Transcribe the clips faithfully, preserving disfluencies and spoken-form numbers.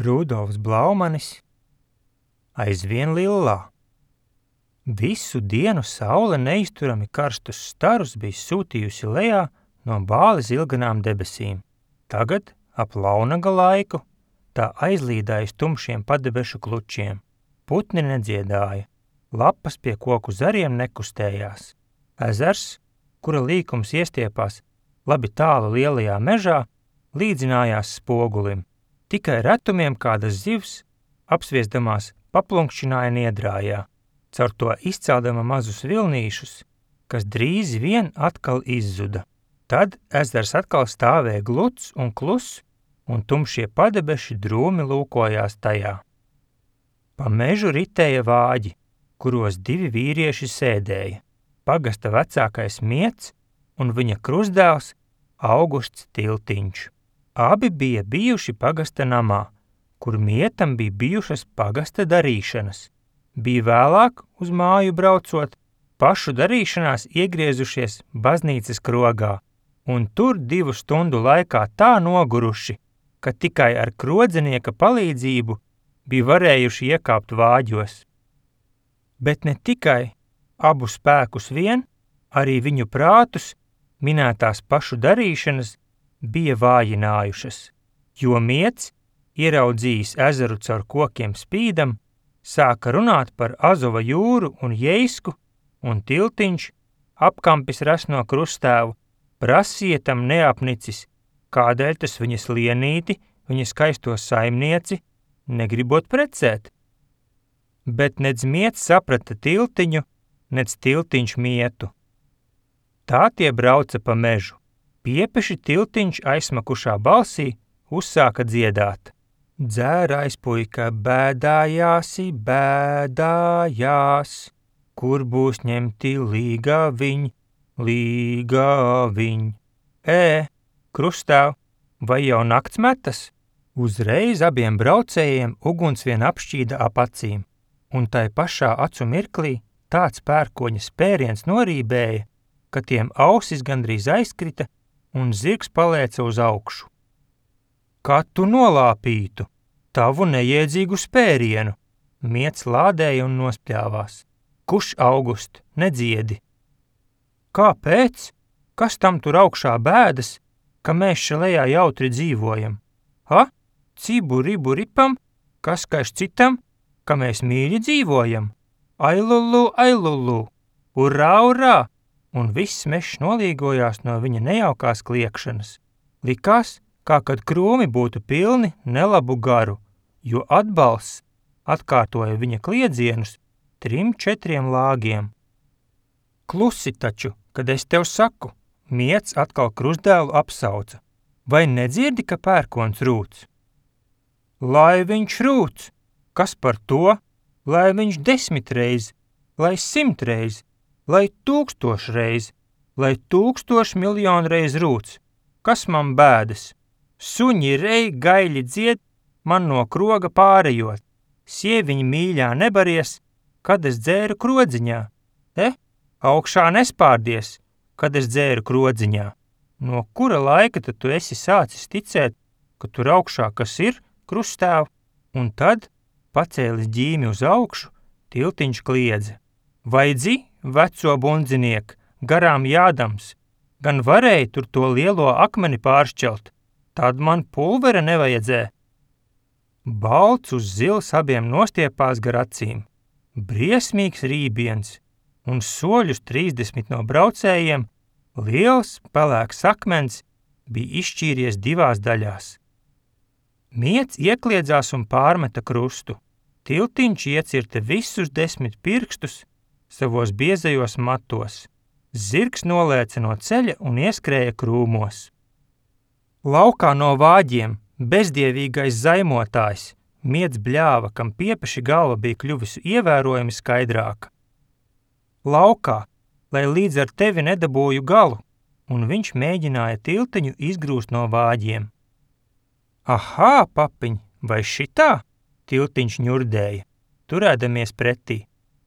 Rudolfs Blaumanis aizvien lillā. Visu dienu saule neizturami karstus starus bija sūtījusi lejā no bāli zilganām debesīm. Tagad, ap launaga laiku, tā aizlīdājas tumšiem padebešu klučiem. Putni nedziedāja, lapas pie koku zariem nekustējās. Ezers, kura līkums iestiepās labi tālu lielajā mežā, līdzinājās spogulim. Tikai retumiem kādas zivs, apsviesdamās, paplunkšķināja niedrājā, caur to izceldama mazus vilnīšus, kas drīz vien atkal izzuda. Tad ezers atkal stāvēja gluds un kluss, un tumšie padebeši drūmi lūkojās tajā. Pa mežu ritēja vāģi, kuros divi vīrieši sēdēja. Pagasta vecākais Miets un viņa krustdēls Augusts Tiltiņš. Abi bija bijuši pagasta namā, kur Mietam bija bijušas pagasta darīšanas. Bija vēlāk, uz māju braucot, pašu darīšanās iegriezušies baznīcas krogā, un tur divu stundu laikā tā noguruši, ka tikai ar krodzenieka palīdzību bija varējuši iekāpt vāģos. Bet ne tikai abu spēkus vien, arī viņu prātus minētās pašu darīšanas bija vājinājušas, jo Miets, ieraudzījis ezeru caur kokiem spīdam, sāka runāt par Azova jūru un Jeisku, un Tiltiņš, apkampis resno krustēvu, prasīja tam neapnicis, kādēļ tas viņas lienīti, viņa skaisto saimnieci, negribot precēt. Bet nedz Miets saprata Tiltiņu, nedz Tiltiņš Mietu. Tā tie brauca pa mežu. Piepeši Tiltiņš aizsmakušā balsī uzsāka dziedāt. Dzērājs puika bēdājāsi, bēdājās, kur būs ņemti līgaviņ, līgaviņ. Ē, krustēv, vai jau nakts metas? Uzreiz abiem braucējiem uguns vien apšķīda ap acīm, un tai pašā acu mirklī tāds pērkoņa spēriens norībēja, ka tiem ausis gandrīz aizkrita un zirgs palēca uz augšu. Kā tu nolāpītu tavu neiedzīgu spērienu? Miets lādēja un nospļāvās. Kuš, August, nedziedi? Kāpēc? Kas tam tur augšā bēdas, ka mēs šalejā jautri dzīvojam? Ha? Cibu ribu ripam? Kas kaiš citam, ka mēs mīļi dzīvojam? Ailulu, ailulu! Urā, urā! Un viss mežs nolīgojās no viņa nejaukās kliekšanas. Likās, kā kad krūmi būtu pilni nelabu garu, jo atbalsts atkārtoja viņa kliedzienus trim četriem lāgiem. Klusi taču, kad es tev saku, Miets atkal krustdēlu apsauca. Vai nedzirdi, ka pērkons rūc? Lai viņš rūc! Kas par to? Lai viņš desmitreiz, lai simtreiz, lai tūkstošreiz, lai tūkstoš miljonreiz rūc. Kas man bēdas? Suņi rei gaļi dzied, man no kroga pārejot. Sieviņi mīļā nebaries, kad es dzēru krodziņā. Te, augšā nespārdies, kad es dzēru krodziņā. No kura laika tad tu esi sācis ticēt, ka tur augšā kas ir, krustēv? Un tad, pacēlis ģīmi uz augšu, Tiltiņš kliedza. Vai dzi, veco bundziniek, garām jādams, gan varēja tur to lielo akmeni pāršķelt, tad man pulvera nevajadzē. Balts uz zils abiem nostiepās gar acīm, briesmīgs rībiens, un soļus trīsdesmit no braucējiem liels, pelēks akmens bija izšķīries divās daļās. Miets iekliedzās un pārmeta krustu. Tiltiņš iecirta visus desmit pirkstus savos biezajos matos. Zirgs nolēca no ceļa un ieskrēja krūmos. Laukā no vāģiem bezdievīgais zaimotājs Miets bļāva, kam piepeši galva bija kļuvusi ievērojami skaidrāka. Laukā, lai līdz ar tevi nedabūju galu, un viņš mēģināja Tiltiņu izgrūst no vāģiem. Ahā, papiņ, vai šitā? Tiltiņš ņurdēja, turēdamies pretī.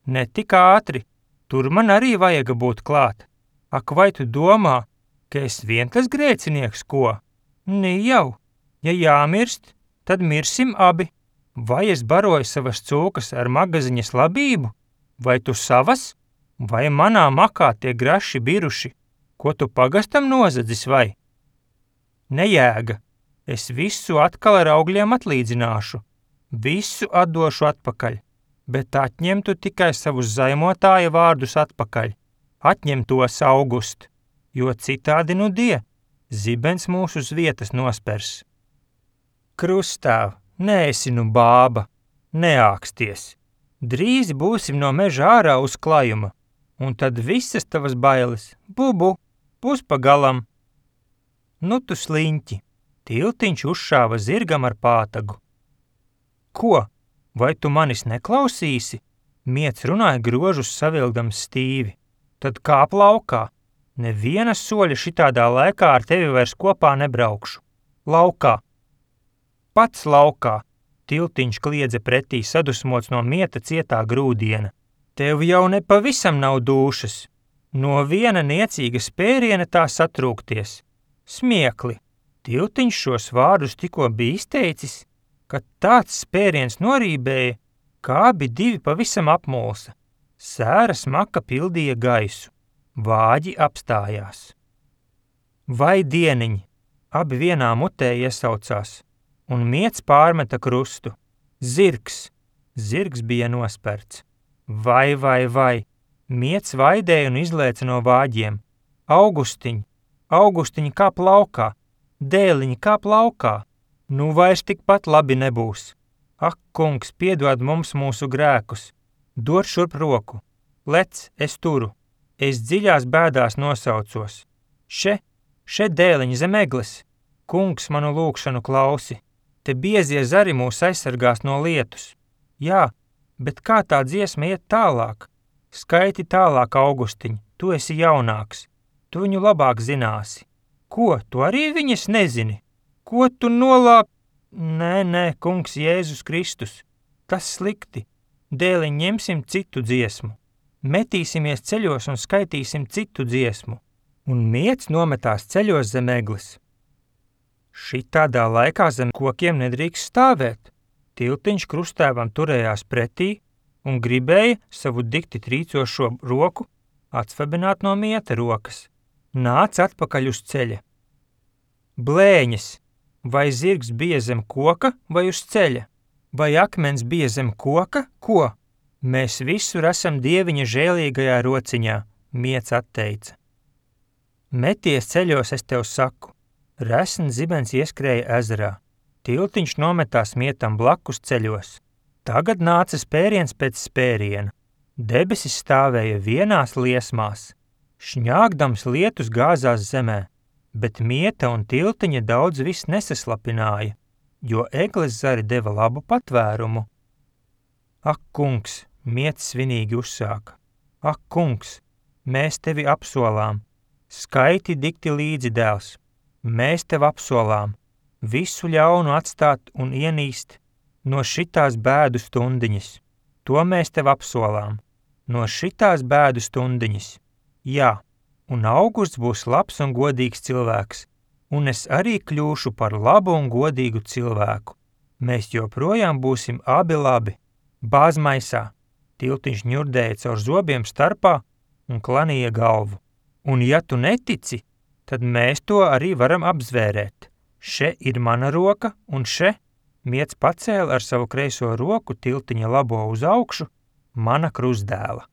Ne tik ātri, tur man arī vajaga būt klāt. Ak, vai tu domā, ka es vien tas grēcinieks, ko? Ni jau, ja jāmirst, tad mirsim abi. Vai es baroju savas cūkas ar magaziņas labību, vai tu savas, vai manā makā tie graši biruši, ko tu pagastam nozadzis vai? Nejēga, es visu atkal ar augļiem atlīdzināšu, visu atdošu atpakaļ, bet atņemtu tikai savus zaimotāja vārdus atpakaļ, atņem tos August, jo citādi nu die, zibens mūs uz vietas nospers. Krustāv, neesi nu bāba, neāksties, drīz būsim no meža ārā uz klajuma, un tad visas tavas bailes, bubu, būs pagalam. Nu tu sliņķi, tiltiņš uzšāva zirgam ar pātagu. Ko, vai tu manis neklausīsi? Miec runāja grožus savilgdams stīvi. Tad kāp laukā, neviena soļa šitādā laikā ar tevi vairs kopā nebraukšu. Laukā. Pats laukā, tiltiņš kliedza pretī sadusmots no mieta cietā grūdiena. Tev jau nepavisam nav dūšas. No viena niecīga spēriena tā satrūkties. Smiekli. Tiltiņš šos vārdus tikko bija izteicis, kad tāds spēriens norībēja, kā abi divi pavisam apmulsa. Sēra smaka pildīja gaisu. Vāģi apstājās. Vai dieniņi, abi vienā mutē iesaucās, un miec pārmeta krustu. Zirgs, zirgs bija nosperts. Vai, vai, vai, miec vaidēja un izlēca no vāģiem. Augustiņ, Augustiņ kāp laukā, dēliņ kāp laukā, nu vairs tikpat labi nebūs. Ak, kungs, piedod mums mūsu grēkus, dod šurp roku, lec, es turu, es dziļās bēdās nosaucos. Še, še dēliņ zem egles, kungs manu lūgšanu klausi, te biezie zari mūs aizsargās no lietus. Jā, bet kā tā dziesma iet tālāk? Skaiti tālāk, Augustiņ, tu esi jaunāks, tu viņu labāk zināsi. Ko, tu arī viņas nezini? Ko tu nolāp? Nē, nē, kungs Jēzus Kristus, tas slikti. Dēliņ ņemsim citu dziesmu. Metīsimies ceļos un skaitīsim citu dziesmu. Un miec nometās ceļos zem egles. Šitādā laikā zem kokiem nedrīkst stāvēt. Tiltiņš krustēvam turējās pretī un gribēja savu dikti trīcošo roku atsvabināt no mieta rokas. Nāc atpakaļ uz ceļa. Blēņas, vai zirgs bija zem koka vai uz ceļa? Vai akmens bija zem koka? Ko? Mēs visur esam Dieviņa žēlīgajā rociņā, miec atteica. Meties ceļos, es tev saku. Resns zibens ieskrēja ezerā. Tiltiņš nometās mietam blakus ceļos. Tagad nāca spēriens pēc spēriena. Debesis stāvēja vienās liesmās. Šņāgdams lietus gāzās zemē, bet mieta un tiltiņa daudz vis nesaslapināja, jo egles zari deva labu patvērumu. Ak, kungs, miec svinīgi uzsāka. Ak, kungs, mēs tevi apsolām. Skaiti dikti līdzi, dēls. Mēs tev apsolām. Visu ļaunu atstāt un ienīst no šitās bēdu stundiņas. To mēs tev apsolām. No šitās bēdu stundiņas. Jā, un Augusts būs labs un godīgs cilvēks, un es arī kļūšu par labu un godīgu cilvēku. Mēs joprojām būsim abi labi. Bāz maisā. Tiltiņš ņurdēja caur zobiem starpā un klanīja galvu. Un ja tu netici, tad mēs to arī varam apzvērēt. Še ir mana roka, un še, miec pacēla ar savu kreiso roku tiltiņa labo uz augšu, mana krustdēla.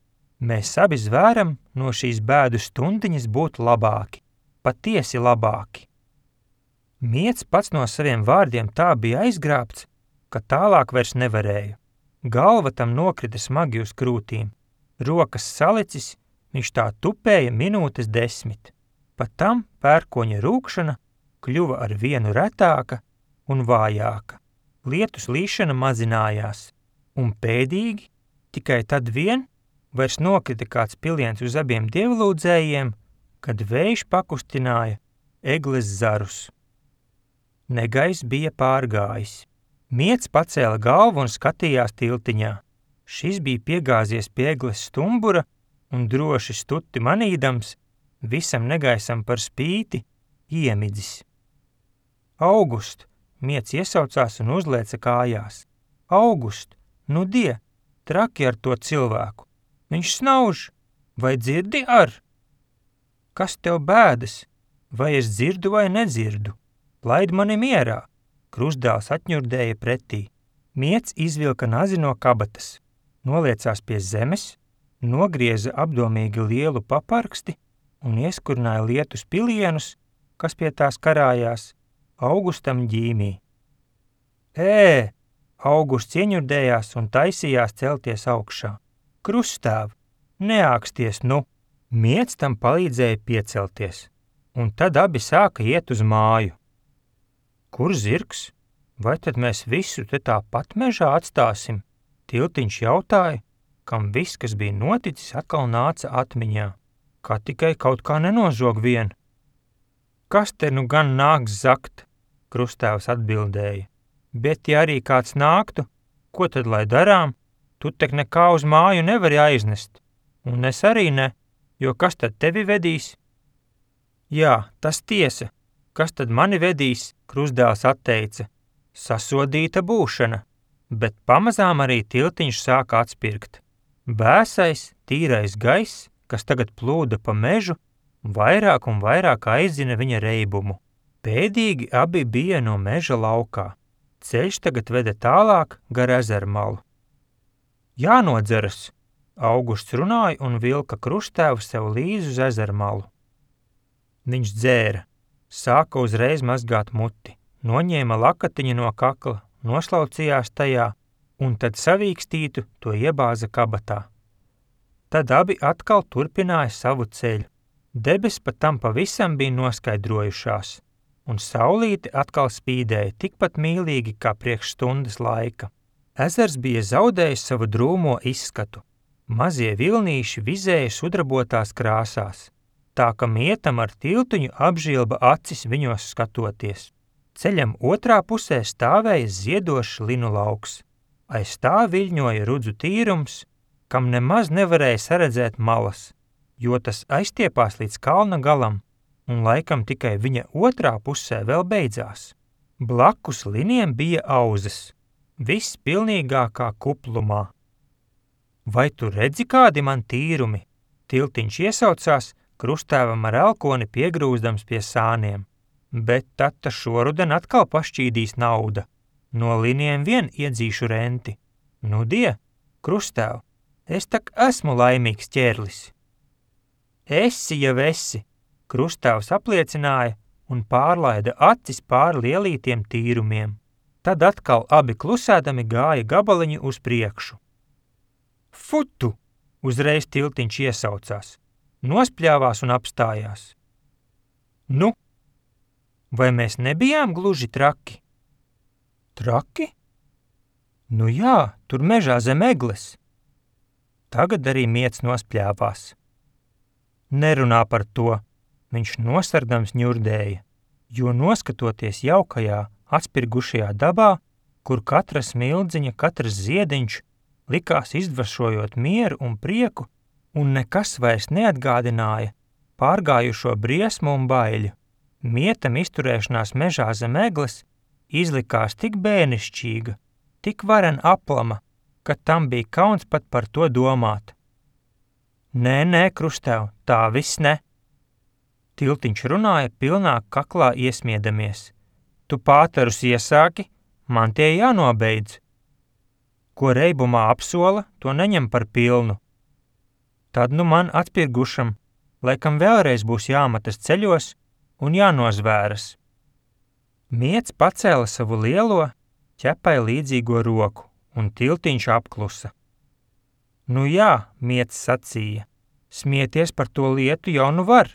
Mēs abi zvēram no šīs bēdu stundiņas būt labāki, patiesi labāki. Miec pats no saviem vārdiem tā bija aizgrābts, ka tālāk vairs nevarēja. Galva tam nokrita smagi uz krūtīm. Rokas salicis, viņš tā tupēja minūtes desmit. Pat tam pērkoņa rūkšana kļuva ar vienu retāka un vājāka. Lietus līšana mazinājās, un pēdīgi, tikai tad vien, vairs nokrita kāds piliens uz abiem dievlūdzējiem, kad vējš pakustināja egles zarus. Negaiss bija pārgājis. Miec pacēla galvu un skatījās tiltiņā. Šis bija piegāzies pie egles stumbura un droši stuti manīdams, visam negaisam par spīti, iemidzis. August, Miec iesaucās un uzlēca kājās. August, nu die, traki ar to cilvēku. Viņš snauž, vai dzirdi ar? Kas tev bēdas? Vai es dzirdu vai nedzirdu? Laid mani mierā. Krustdēls atņurdēja pretī. Miec izvilka nazi no kabatas, noliecās pie zemes, nogrieza apdomīgi lielu paparksti un ieskurināja lietus pilienus, kas pie tās karājās, Augustam ģīmī. Ē, Augusts ieņurdējās un taisījās celties augšā. Krusttēv, neāksties nu! Miec tam palīdzēja piecelties, un tad abi sāka iet uz māju. Kur zirgs? Vai tad mēs visu te tāpat mežā atstāsim? Tiltiņš jautāja, kam viss, kas bija noticis, atkal nāca atmiņā, kā tikai kaut kā nenozog vien. Kas te nu gan nāks zakt? Krusttēvs atbildēja. Bet ja arī kāds nāktu, ko tad lai darām? Tu tek nekā uz māju nevari aiznest, un es arī ne, jo kas tad tevi vedīs? Jā, tas tiesa, kas tad mani vedīs, Krustdēls atteica. Sasodīta būšana, bet pamazām arī tiltiņš sāka atspirgt. Bēsais, tīrais gaiss, kas tagad plūda pa mežu, vairāk un vairāk aizina viņa reibumu. Pēdīgi abi bija no meža laukā. Ceļš tagad veda tālāk gar ezermalu. Jānodzeras, Augusts runāja un vilka Krusttēvu sev līdzi uz ezermalu. Viņš dzēra, sāka uzreiz mazgāt muti, noņēma lakatiņu no kakla, noslaucījās tajā un tad savīkstītu to iebāza kabatā. Tad abi atkal turpināja savu ceļu. Debes pat tam pavisam bija noskaidrojušās, un saulīte atkal spīdēja tikpat mīlīgi kā priekš stundas laika. Ezers bija zaudējis savu drūmo izskatu. Mazie vilnīši vizēja sudrabotās krāsās, tā ka mietam ar tiltiņu apžilba acis viņos skatoties. Ceļam otrā pusē stāvēja ziedošs linu lauks. Aiz tā viļņoja rudzu tīrums, kam nemaz nevarēja saredzēt malas, jo tas aiztiepās līdz kalna galam, un laikam tikai viņa otrā pusē vēl beidzās. Blakus liniem bija auzas, viss pilnīgākā kuplumā. Vai tu redzi kādi man tīrumi? Tiltiņš iesaucās, Krusttēvam ar elkoni piegrūzdams pie sāniem, bet tad ta šoruden atkal pašķīdīs nauda. No liniem vien iedzīšu renti. Nu die, Krusttēv, es tak esmu laimīgs ķērlis. Esi jau esi, Krusttēvs apliecināja un pārlaida acis pār lielītiem tīrumiem. Tad atkal abi klusēdami gāja gabaliņu uz priekšu. Futu! Uzreiz tiltiņš iesaucās, nospļāvās un apstājās. Nu, vai mēs nebijām gluži traki? Traki? Nu jā, tur mežā zem egles. Tagad arī miec nospļāvās. Nerunā par to, viņš nosardams ņurdēja, jo noskatoties jaukajā, atspirgušajā dabā, kur katra smildziņa, katrs ziediņš likās izdvašojot mieru un prieku, un nekas vairs neatgādināja pārgājušo briesmu un baiļu. Mietam izturēšanās mežā zem egles izlikās tik bērnišķīga, tik varen aplama, ka tam bija kauns pat par to domāt. Nē, nē, Krusttēv, tā viss ne. Tiltiņš runāja pilnā kaklā iesmiedamies. Tu pātarus iesāki, man tie jānobeidz. Ko reibumā apsola, to neņem par pilnu. Tad nu man atspirgušam, laikam vēlreiz būs jāmatas ceļos un jānozvēras. Miec pacēla savu lielo, ķepai līdzīgo roku, un tiltiņš apklusa. Nu jā, Miec sacīja, smieties par to lietu jau nu var,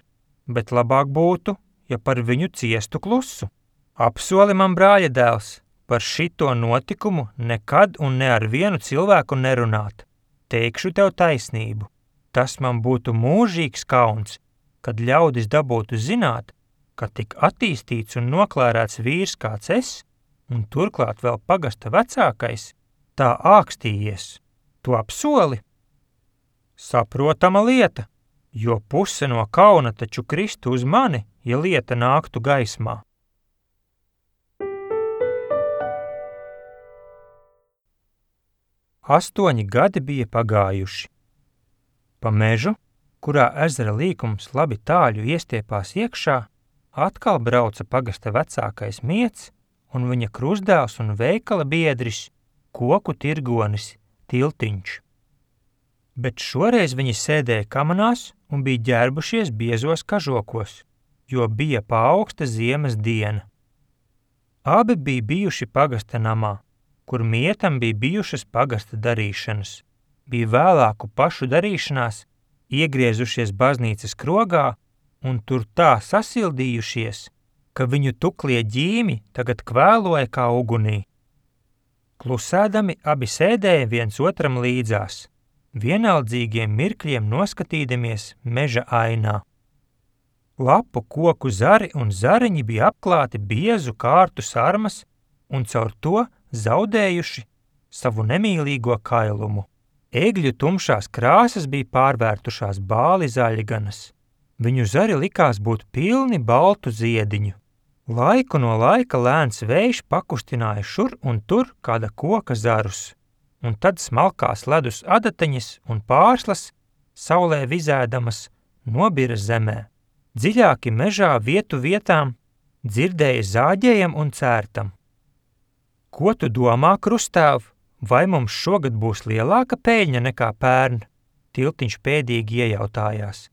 bet labāk būtu, ja par viņu ciestu klusu. Apsoli man, brāļa dēls, par šito notikumu nekad un ne ar vienu cilvēku nerunāt. Teikšu tev taisnību. Tas man būtu mūžīgs kauns, kad ļaudis dabūtu zināt, ka tik attīstīts un noklērēts vīrs kāds es, un turklāt vēl pagasta vecākais, tā ākstījies. Tu apsoli? Saprotama lieta, jo puse no kauna taču kristu uz mani, ja lieta nāktu gaismā. Astoņi gadi bija pagājuši. Pa mežu, kurā ezera līkums labi tāļu iestiepās iekšā, atkal brauca pagasta vecākais Miets un viņa krustdēls un veikala biedris, koku tirgonis Tiltiņš. Bet šoreiz viņi sēdēja kamanās un bija ģērbušies biezos kažokos, jo bija paaugsta ziemas diena. Abi bija bijuši pagasta namā, kur Mietam bija bijušas pagasta darīšanas, bija vēlāku pašu darīšanās, iegriezušies baznīcas krogā un tur tā sasildījušies, ka viņu tuklie ģīmi tagad kvēloja kā ugunī. Klusēdami abi sēdēja viens otram līdzās, vienaldzīgiem mirkļiem noskatīdamies meža ainā. Lapu koku zari un zariņi bija apklāti biezu kārtu sarmas un caur to zaudējuši savu nemīlīgo kailumu. Egļu tumšās krāsas bija pārvērtušās bāli zaļganas. Viņu zari likās būt pilni baltu ziediņu. Laiku no laika lēns vējš pakustināja šur un tur kāda koka zarus, un tad smalkās ledus adateņas un pārslas, saulē vizēdamas, nobira zemē. Dziļāki mežā vietu vietām dzirdēja zāģējam un cērtam. Ko tu domā, krustēv, vai mums šogad būs lielāka peļņa nekā pērn? Tiltiņš pēdīgi iejautājās.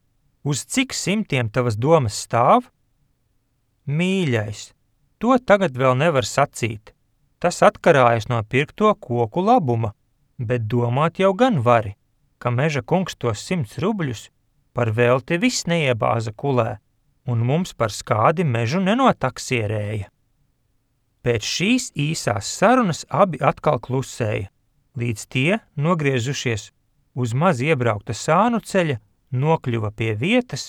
Uz cik simtiem tavas domas stāv? Mīļais, to tagad vēl nevar sacīt. Tas atkarājas no pirkto koku labuma, bet domāt jau gan vari, ka meža kungs tos simts rubļus par velti viss neiebāza kulē, un mums par skādi mežu nenotaksierēja. Pēc šīs īsās sarunas abi atkal klusēja, līdz tie, nogriezušies uz maz iebraukta sānu ceļa, nokļuva pie vietas,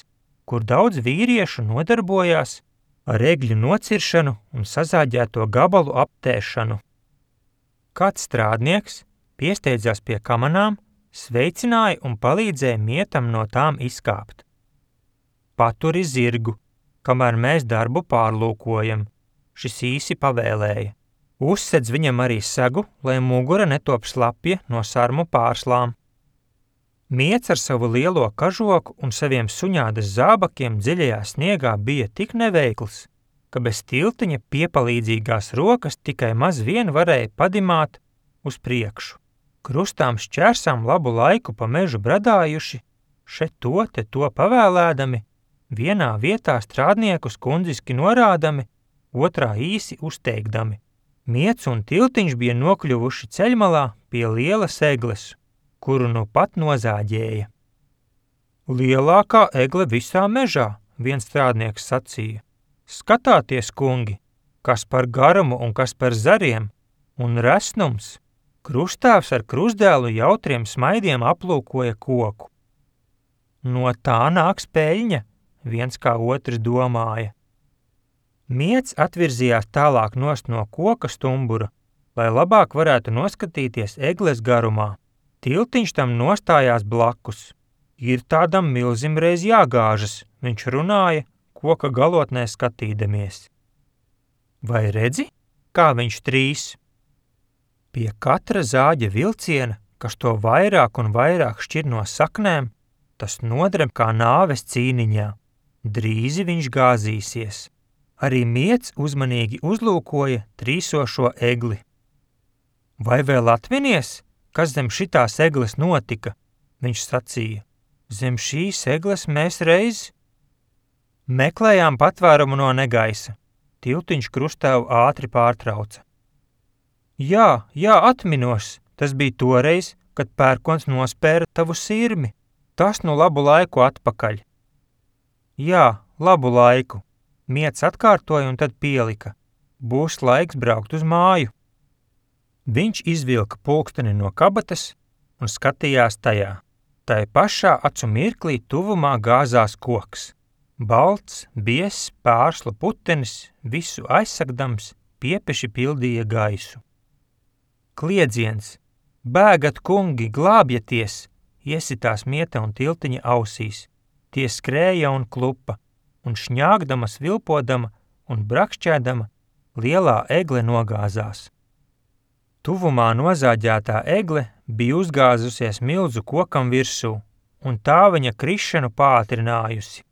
kur daudz vīriešu nodarbojās ar egļu nociršanu un sazāģēto gabalu aptēšanu. Kāds strādnieks piesteidzās pie kamanām, sveicināja un palīdzēja Mietam no tām izkāpt. Paturi zirgu, kamēr mēs darbu pārlūkojam, šis īsi pavēlēja. Uzsedz viņam arī segu, lai mugura netop slapja no sarmu pārslām. Miets ar savu lielo kažoku un saviem suņādas zābakiem dziļajā sniegā bija tik neveikls, ka bez Tiltiņa piepalīdzīgās rokas tikai maz vien varēja padimāt uz priekšu. Krustām šķērsām labu laiku pa mežu bradājuši, še to te to pavēlēdami, vienā vietā strādniekus kundziski norādami, otrā īsi uzteikdami. Miets un Tiltiņš bija nokļuvuši ceļmalā pie lielas egles, kuru nu pat nozāģēja. Lielākā egle visā mežā, viens strādnieks sacīja. Skatāties, kungi, kas par garumu un kas par zariem, un resnums. Krustāvs ar krustdēlu jautriem smaidiem aplūkoja koku. No tā nāks peļņa, viens kā otrs domāja. Miets atvirzījās tālāk nost no koka stumbura, lai labāk varētu noskatīties egles garumā. Tiltiņš tam nostājās blakus. Ir tādam milzim reiz jāgāžas, viņš runāja, koka galotnē skatīdamies. Vai redzi, kā viņš trīs? Pie katra zāģa vilciena, kas to vairāk un vairāk šķir no saknēm, tas nodrem kā nāves cīniņā. Drīzi viņš gāzīsies. Arī Miets uzmanīgi uzlūkoja trīsošo egli. Vai vēl atminies, kas zem šitās egles notika? Viņš sacīja. Zem šīs egles mēs reiz meklējām patvērumu no negaisa. Tiltiņš krustēvu ātri pārtrauca. Jā, jā, atminos, tas bija toreiz, kad pērkons nospēra tavu sirmi. Tas nu labu laiku atpakaļ. Jā, labu laiku. Miets atkārtoja un tad pielika. Būs laiks braukt uz māju. Viņš izvilka pulksteni no kabatas un skatījās tajā. Tai pašā acu mirklī tuvumā gāzās koks. Balts, biezs, pārslu putenis, visu aizsagdams, piepeši pildīja gaisu. Kliedziens, bēgat kungi, glābjaties, iesitās Mieta un Tiltiņa ausīs. Tie skrēja un klupa, un šņāgdama, svilpodama un brakšķēdama, lielā egle nogāzās. Tuvumā nozāģētā egle bija uzgāzusies milzu kokam virsū, un tā viņa krišanu pātrinājusi.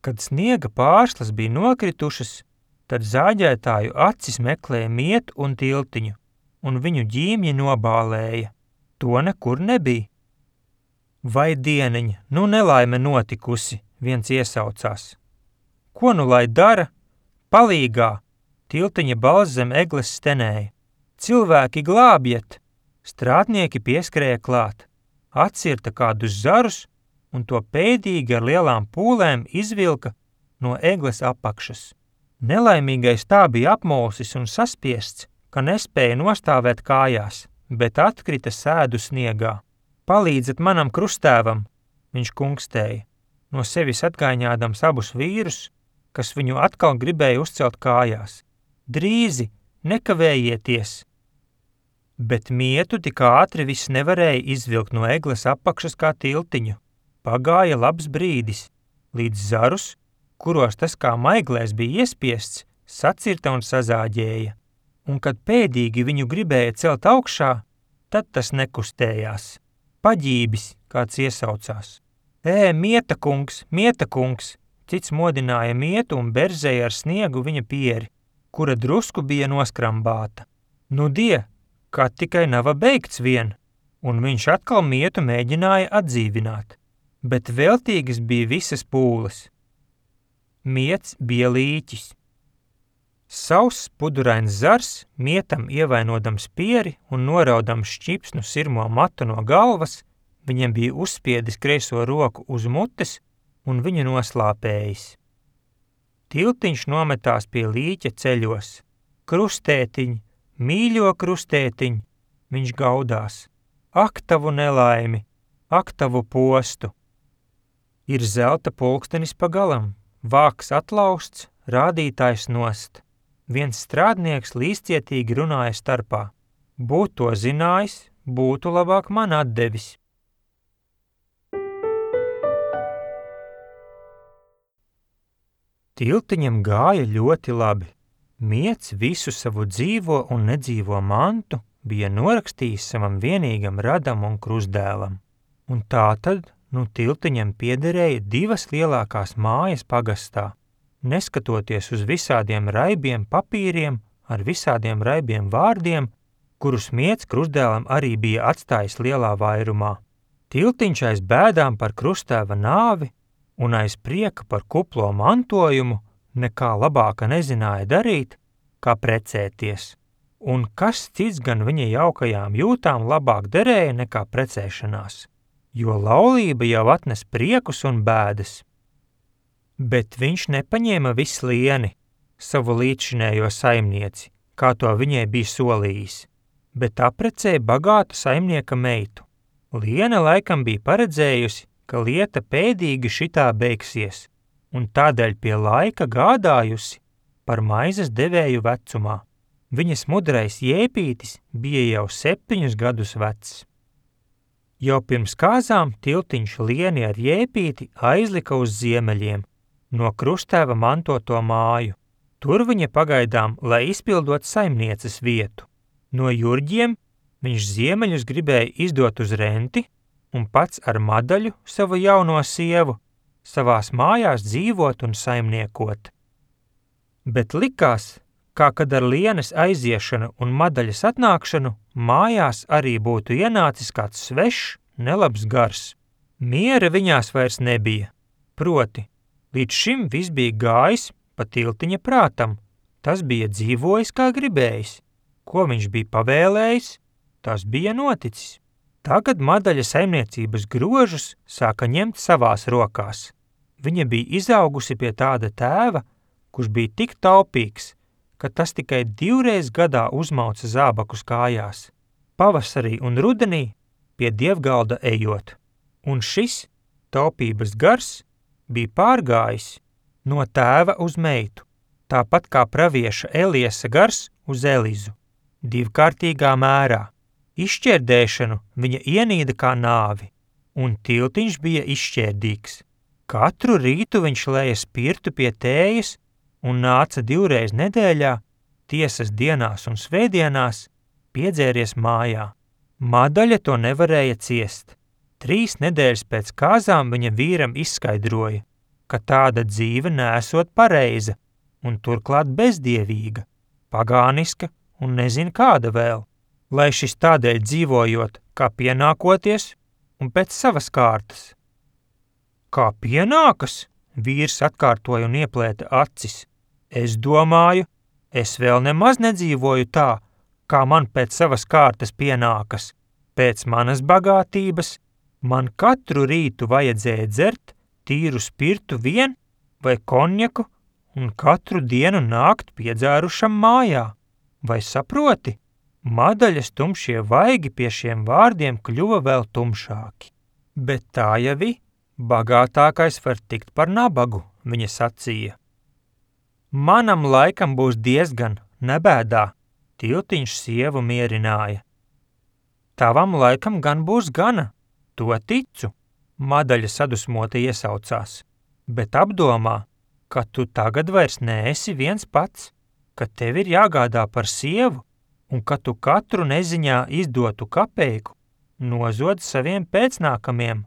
Kad sniega pārslas bija nokritušas, tad zāģētāju acis meklēja Mietu un Tiltiņu, un viņu ģīmji nobālēja. To nekur nebija. Vai dieniņa, nu nelaime notikusi, viens iesaucās. Ko nu lai dara? Palīgā! Tiltiņa balss zem egles stenēja. Cilvēki glābjiet! Strādnieki pieskrēja klāt, atcirta kādus zarus un to pēdīgi ar lielām pūlēm izvilka no egles apakšas. Nelaimīgais tā bija apmulsis un saspiests, ka nespēja nostāvēt kājās, bet atkrita sēdu sniegā. Palīdzat manam krustēvam, viņš kungstēja, no sevis atgaiņādams abus vīrus, kas viņu atkal gribēja uzcelt kājās. Drīzi, nekavējieties! Bet Mietu tik ātri viss nevarēja izvilkt no egles apakšas kā Tiltiņu. Pagāja labs brīdis, līdz zarus, kuros tas kā maiglēs bija iespiests, sacirta un sazāģēja. Un kad pēdīgi viņu gribēja celt augšā, tad tas nekustējās. Paģībis, kāds iesaucās. Ē, Mieta kungs, Mieta kungs! Cits modināja Mietu un berzēja ar sniegu viņa pieri, kura drusku bija noskrambāta. Nu die, kā tikai nava beigts vien, un viņš atkal Mietu mēģināja atdzīvināt, bet veltīgas bija visas pūles. Miets bija līķis. Sauss pudurains zars, Mietam ievainodams pieri un noraudams šķipsnu sirmo matu no galvas, viņam bija uzspiedis kreiso roku uz mutes un viņu noslāpējis. Tiltiņš nometās pie līķa ceļos. Krustētiņ, mīļo krustētiņ, viņš gaudās. Ak tavu nelaimi, ak tavu postu. Ir zelta pulkstenis pa galam, vāks atlausts, rādītājs nost. Viens strādnieks līdzcietīgi runāja starpā. Būt to zinājis, būtu labāk man atdevis. Tiltiņam gāja ļoti labi. Miets visu savu dzīvo un nedzīvo mantu bija norakstījis savam vienīgam radam un krustdēlam. Un tātad, nu Tiltiņam piederēja divas lielākās mājas pagastā, neskatoties uz visādiem raibiem papīriem ar visādiem raibiem vārdiem, kurus Miets krustdēlam arī bija atstājis lielā vairumā. Tiltiņš aiz bēdām par krustēva nāvi un aiz prieka par kuplo mantojumu nekā labāka nezināja darīt, kā precēties. Un kas cits gan viņa jaukajām jūtām labāk derēja nekā precēšanās, jo laulība jau atnes priekus un bēdas. Bet viņš nepaņēma visu lieni, savu līdzšinējo saimnieci, kā to viņai bija solījis, bet aprecēja bagātu saimnieka meitu. Liena laikam bija paredzējusi, ka lieta pēdīgi šitā beigsies, un tādēļ pie laika gādājusi par maizes devēju vecumā. Viņas mudrais Jēpītis bija jau septiņus gadus vecs. Jau pirms kāzām Tiltiņš Lieni ar Jēpīti aizlika uz ziemeļiem, no krustēva mantoto māju. Tur viņa pagaidām, lai izpildot saimnieces vietu. No Jurģiem viņš ziemeļus gribēja izdot uz renti, un pats ar Madaļu, savu jauno sievu, savās mājās dzīvot un saimniekot. Bet likās, kā kad ar Lienes aiziešanu un Madaļas atnākšanu mājās arī būtu ienācis kāds svešs, nelabs gars. Miera viņās vairs nebija, proti, līdz šim viss bija gājis pa Tiltiņa prātam, tas bija dzīvojis kā gribējis, ko viņš bija pavēlējis, tas bija noticis. Tagad Madaļa saimniecības grožus sāka ņemt savās rokās. Viņa bija izaugusi pie tāda tēva, kurš bija tik taupīgs, ka tas tikai divreiz gadā uzmauca zābakus kājās, pavasarī un rudenī pie dievgalda ejot. Un šis taupības gars bija pārgājis no tēva uz meitu, tāpat kā pravieša Eliesa gars uz Elizu, divkārtīgā mērā. Izšķērdēšanu viņa ienīda kā nāvi, un Tiltiņš bija izšķērdīgs. Katru rītu viņš lēja spirtu pie tējas un nāca divreiz nedēļā, tiesas dienās un svētdienās, piedzēries mājā. Madaļa to nevarēja ciest. Trīs nedēļas pēc kāzām viņa vīram izskaidroja, ka tāda dzīve neesot pareiza un turklāt bezdievīga, pagāniska un nezin kāda vēl, lai šis tādēļ dzīvojot, kā pienākoties un pēc savas kārtas. Kā pienākas? Vīrs atkārtoja un ieplēta acis. Es domāju, es vēl nemaz nedzīvoju tā, kā man pēc savas kārtas pienākas. Pēc manas bagātības man katru rītu vajadzēja dzert tīru spirtu vien vai konjaku un katru dienu nākt piedzērušam mājā. Vai saproti? Madaļas tumšie vaigi pie šiem vārdiem kļuva vēl tumšāki. Bet tā jau vi, bagātākais var tikt par nabagu, viņa sacīja. Manam laikam būs diezgan, nebēdā, Tiltiņš sievu mierināja. Tavam laikam gan būs gana, to ticu, Madaļa sadusmota iesaucās, bet apdomā, ka tu tagad vairs neesi viens pats, ka tev ir jāgādā par sievu un ka tu katru neziņā izdotu kapeiku nozod saviem pēcnākamiem.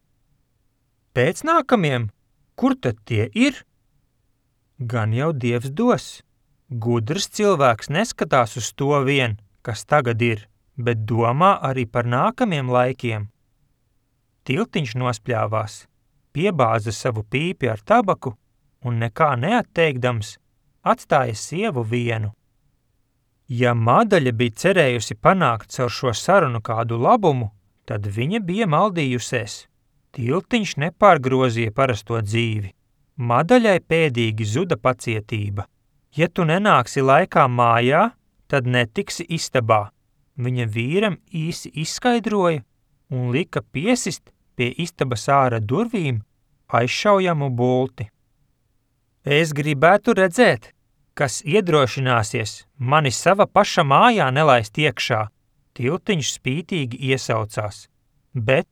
Pēcnākamiem? Kur tad tie ir? Gan jau Dievs dos. Gudrs cilvēks neskatās uz to vien, kas tagad ir, bet domā arī par nākamiem laikiem. Tiltiņš nospļāvās, piebāza savu pīpi ar tabaku un nekā neatteikdams atstāja sievu vienu. Ja Madaļa bija cerējusi panākt caur šo sarunu kādu labumu, tad viņa bija maldījusies. Tiltiņš nepārgrozīja parasto dzīvi. Madaļai pēdīgi zuda pacietība. Ja tu nenāksi laikā mājā, tad netiksi istabā. Viņa vīram īsi izskaidroja un lika piesist pie istabas āra durvīm aizšaujamu bulti. Es gribētu redzēt, kas iedrošināsies mani sava paša mājā nelaist iekšā, Tiltiņš spītīgi iesaucās, bet,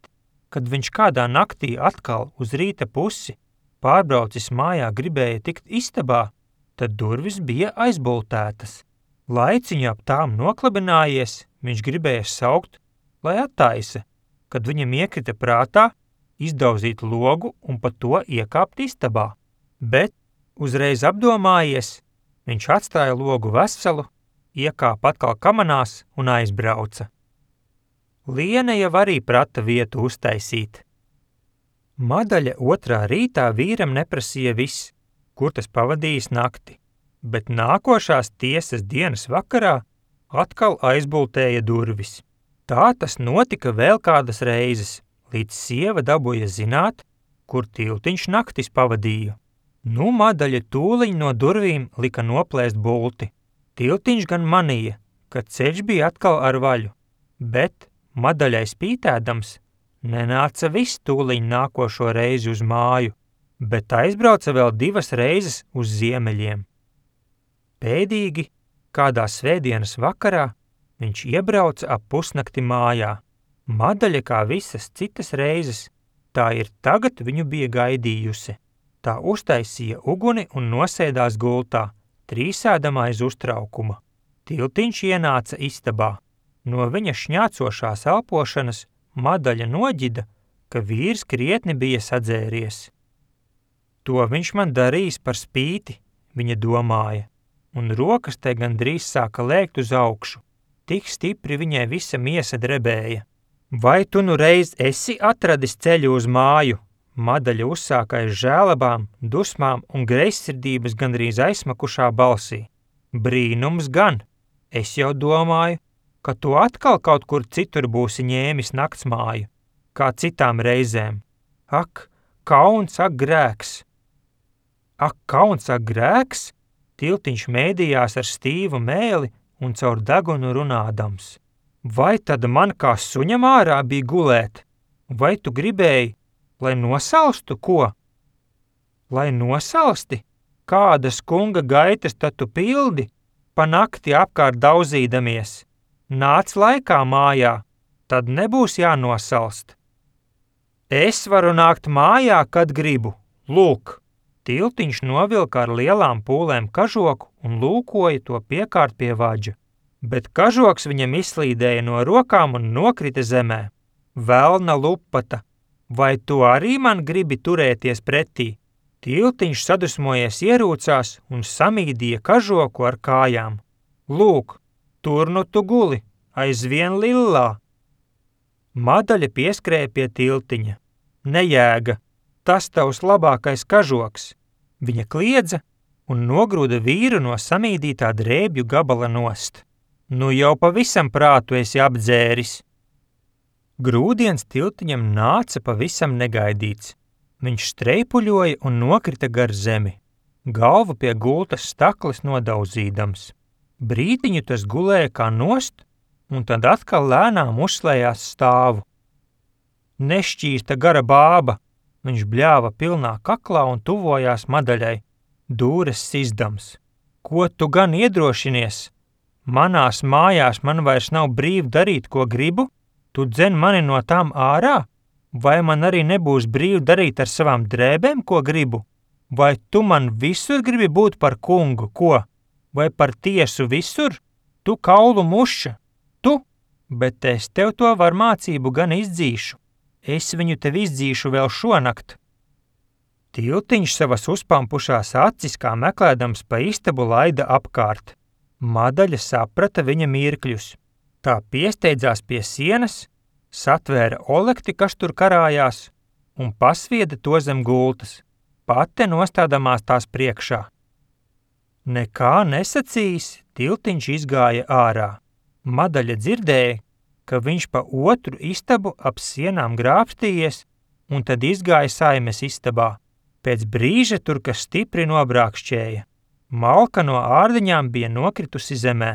kad viņš kādā naktī atkal uz rīta pusi pārbraucis mājā gribēja tikt istabā, tad durvis bija aizbultētas. Laiciņu ap tām noklabinājies, viņš gribēja saukt, lai attaisa, kad viņam iekrita prātā izdauzīt logu un pa to iekāpt istabā, bet, uzreiz apdomājies, viņš atstāja logu veselu, iekāpa atkal kamanās un aizbrauca. Liene jau arī prata vietu uztaisīt. Madaļa otrā rītā vīram neprasīja viss, kur tas pavadījis nakti, bet nākošās tiesas dienas vakarā atkal aizbultēja durvis. Tā tas notika vēl kādas reizes, līdz sieva dabūja zināt, kur Tiltiņš naktis pavadīja. Nu, Madaļa tūliņ no durvīm lika noplēst bulti. Tiltiņš gan manīja, ka ceļš bija atkal ar vaļu, bet Madaļai spītēdams nenāca viss tūliņ nākošo reizi uz māju, bet aizbrauca vēl divas reizes uz ziemeļiem. Pēdīgi, kādā svētdienas vakarā, viņš iebrauca ap pusnakti mājā. Madaļa kā visas citas reizes, tā ir tagad viņu bija gaidījusi. Tā uztaisīja uguni un nosēdās gultā, trīsēdamā aiz uztraukuma. Tiltiņš ienāca istabā. No viņa šņācošās elpošanas Madaļa noģida, ka vīrs krietni bija sadzēries. To viņš man darīs par spīti, viņa domāja, un rokas te gandrīz sāka lēkt uz augšu. Tik stipri viņai visa miesa drebēja. Vai tu nu reiz esi atradis ceļu uz māju? Madaļa uzsāka aiz žēlabām, dusmām un greizsirdības gandrīz aizsmakušā balsī. Brīnums gan! Es jau domāju, ka tu atkal kaut kur citur būsi ņēmis naktsmāju, kā citām reizēm. Ak, kauns, ak, grēks! Ak, kauns, ak, grēks! Tiltiņš mēdījās ar stīvu mēli un caur degunu runādams. Vai tad man kā suņam ārā bija gulēt? Vai tu gribēji, lai nosalstu ko? Lai nosalsti? Kādas kunga gaitas tad tu pildi, pa nakti apkārt daudzīdamies? Nāc laikā mājā, tad nebūs jānosalst. Es varu nākt mājā, kad gribu. Lūk! Tiltiņš novilka ar lielām pūlēm kažoku un lūkoja to piekārt pie vaģa. bet kažoks viņam izslīdēja no rokām un nokrita zemē. Velna lupata, vai tu arī man gribi turēties pretī? Tiltiņš sadusmojies ierūcās un samīdīja kažoku ar kājām. Lūk, tur nu tu guli, aizvien lillā. Madaļa pieskrēja pie tiltiņa. Nejēga, tas tavs labākais kažoks. Viņa kliedza un nogrūda vīru no samīdītā drēbju gabala nost. Nu jau pavisam prātu esi apdzēris. Grūdiens tiltiņam nāca pavisam negaidīts. Viņš streipuļoja un nokrita gar zemi, galvu pie gultas stakles nodauzīdams. Brītiņu tas gulēja kā nost, un tad atkal lēnām uzslējās stāvu. Nešķīsta gara bāba, viņš bļāva pilnā kaklā un tuvojās Madaļai, dūres sizdams. Ko tu gan iedrošinies? Manās mājās man vairs nav brīvi darīt, ko gribu? Tu dzen mani no tām ārā? Vai man arī nebūs brīvi darīt ar savām drēbēm, ko gribu? Vai tu man visur gribi būt par kungu, ko? Vai par tiesu visur? Tu kaulu muša, tu, bet es tev to var mācību gan izdzīšu. Es viņu tev izdzīšu vēl šonakt. Tiltiņš savas uzpampušās acis kā meklēdams pa istabu laida apkārt. Madaļa saprata viņa mirkļus. Tā piesteidzās pie sienas, satvēra olekti, kas tur karājās, un pasvieda to zem gultas, pate nostādamās tās priekšā. Nekā nesacījis, tiltiņš izgāja ārā. Madaļa dzirdēja, ka viņš pa otru istabu ap sienām grābstījies, un tad izgāja saimes istabā. Pēc brīža tur kas stipri nobrākšķēja. Malka no ārdiņām bija nokritusi zemē.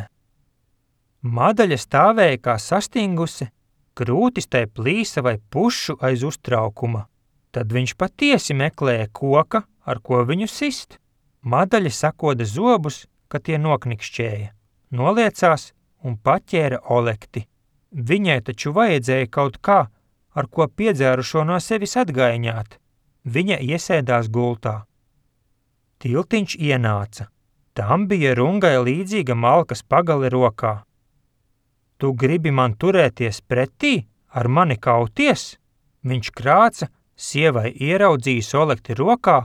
Madaļa stāvēja kā sastingusi, krūtis tai plīsa vai pušu aiz uztraukuma. Tad viņš patiesi meklēja koka, ar ko viņu sist. Madaļa sakoda zobus, ka tie noknikšķēja, noliecās un paķēra olekti. Viņai taču vajadzēja kaut kā, ar ko piedzērušo no sevis atgaiņāt. Viņa iesēdās gultā. Tiltiņš ienāca. Tam bija rungai līdzīga malkas pagale rokā. Tu gribi man turēties pretī, ar mani kauties? Viņš krāca, sievai ieraudzījis olekti rokā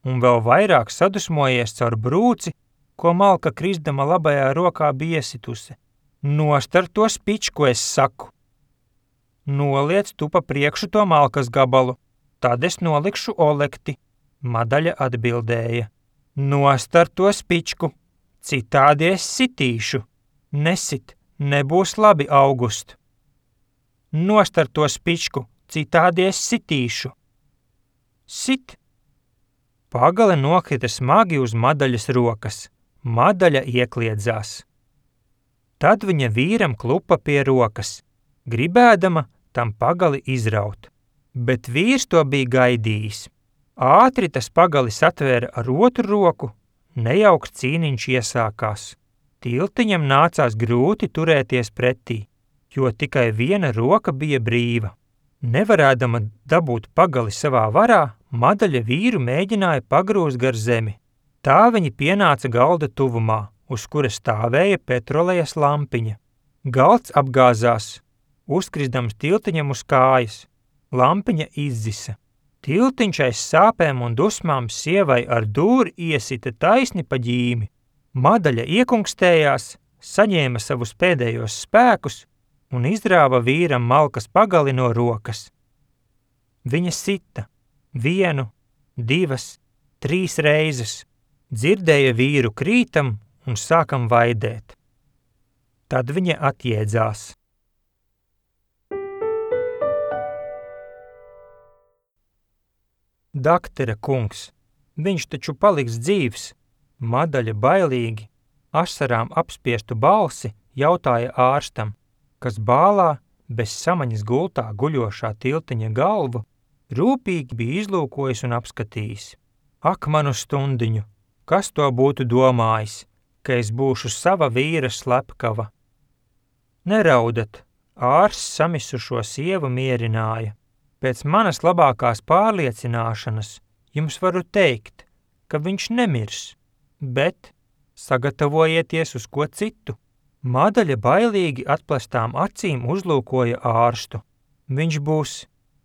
un vēl vairāk sadusmojies caur brūci, ko malka krisdama labajā rokā bija iesitusi. Nost ar to spičku, es saku. Noliec tu pa priekšu to malkas gabalu, tad es nolikšu olekti, Madaļa atbildēja. Nost ar to spičku, citādi es sitīšu. Nesit, nebūs labi, August. Nost ar to spičku, citādi es sitīšu. Sit. Pagale nokrita smagi uz Madaļas rokas. Madaļa iekliedzās. Tad viņa vīram klupa pie rokas, gribēdama tam pagali izraut. Bet vīrs to bija gaidījis. Ātri tas pagali satvēra ar otru roku, nejauks cīniņš iesākās. Tiltiņam nācās grūti turēties pretī, jo tikai viena roka bija brīva. Nevarēdama dabūt pagali savā varā, Madaļa vīru mēģināja pagrūst gar zemi. Tā viņi pienāca galda tuvumā, uz kura stāvēja petrolejas lampiņa. Galds apgāzās, uzkrisdams tiltiņam uz kājas. Lampiņa izzisa. Tiltiņš aiz sāpēm un dusmām sievai ar dūri iesita taisni pa ģīmi. Madaļa iekungstējās, saņēma savus pēdējos spēkus un izrāva vīram malkas pagali no rokas. Viņa sita vienu, divas, trīs reizes, dzirdēja vīru krītam un sākam vaidēt. Tad viņa atjēdzās. Daktera kungs, viņš taču paliks dzīvs. Madaļa bailīgi, asarām apspiestu balsi jautāja ārstam, kas bālā bez samaņas gultā guļošā tiltiņa galvu rūpīgi bija izlūkojis un apskatījis. Ak, manu stundiņu, kas to būtu domājis, ka es būšu sava vīra slepkava? Neraudat, ārsts samisušo sievu mierināja. Pēc manas labākās pārliecināšanas jums varu teikt, ka viņš nemirs, bet sagatavojieties uz ko citu. Madaļa bailīgi atplestām acīm uzlūkoja ārstu. Viņš būs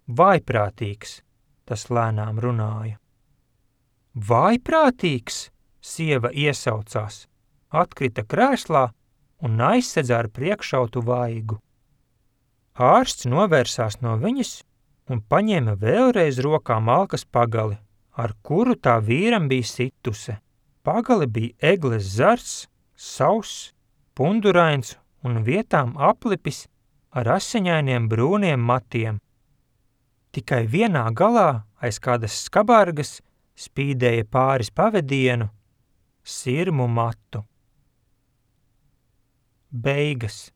vājprātīgs, tas lēnām runāja. Vājprātīgs, sieva iesaucās, atkrita krēslā un aizsedza ar priekšautu vaigu. Ārsts novērsās no viņas un paņēma vēlreiz rokā malkas pagali, ar kuru tā vīram bija situse. Pagali bija egles zars, sauss, pundurains un vietām aplipis ar asiņainiem brūniem matiem. Tikai vienā galā aiz kādas skabargas spīdēja pāris pavedienu, sirmu matu. Beigas.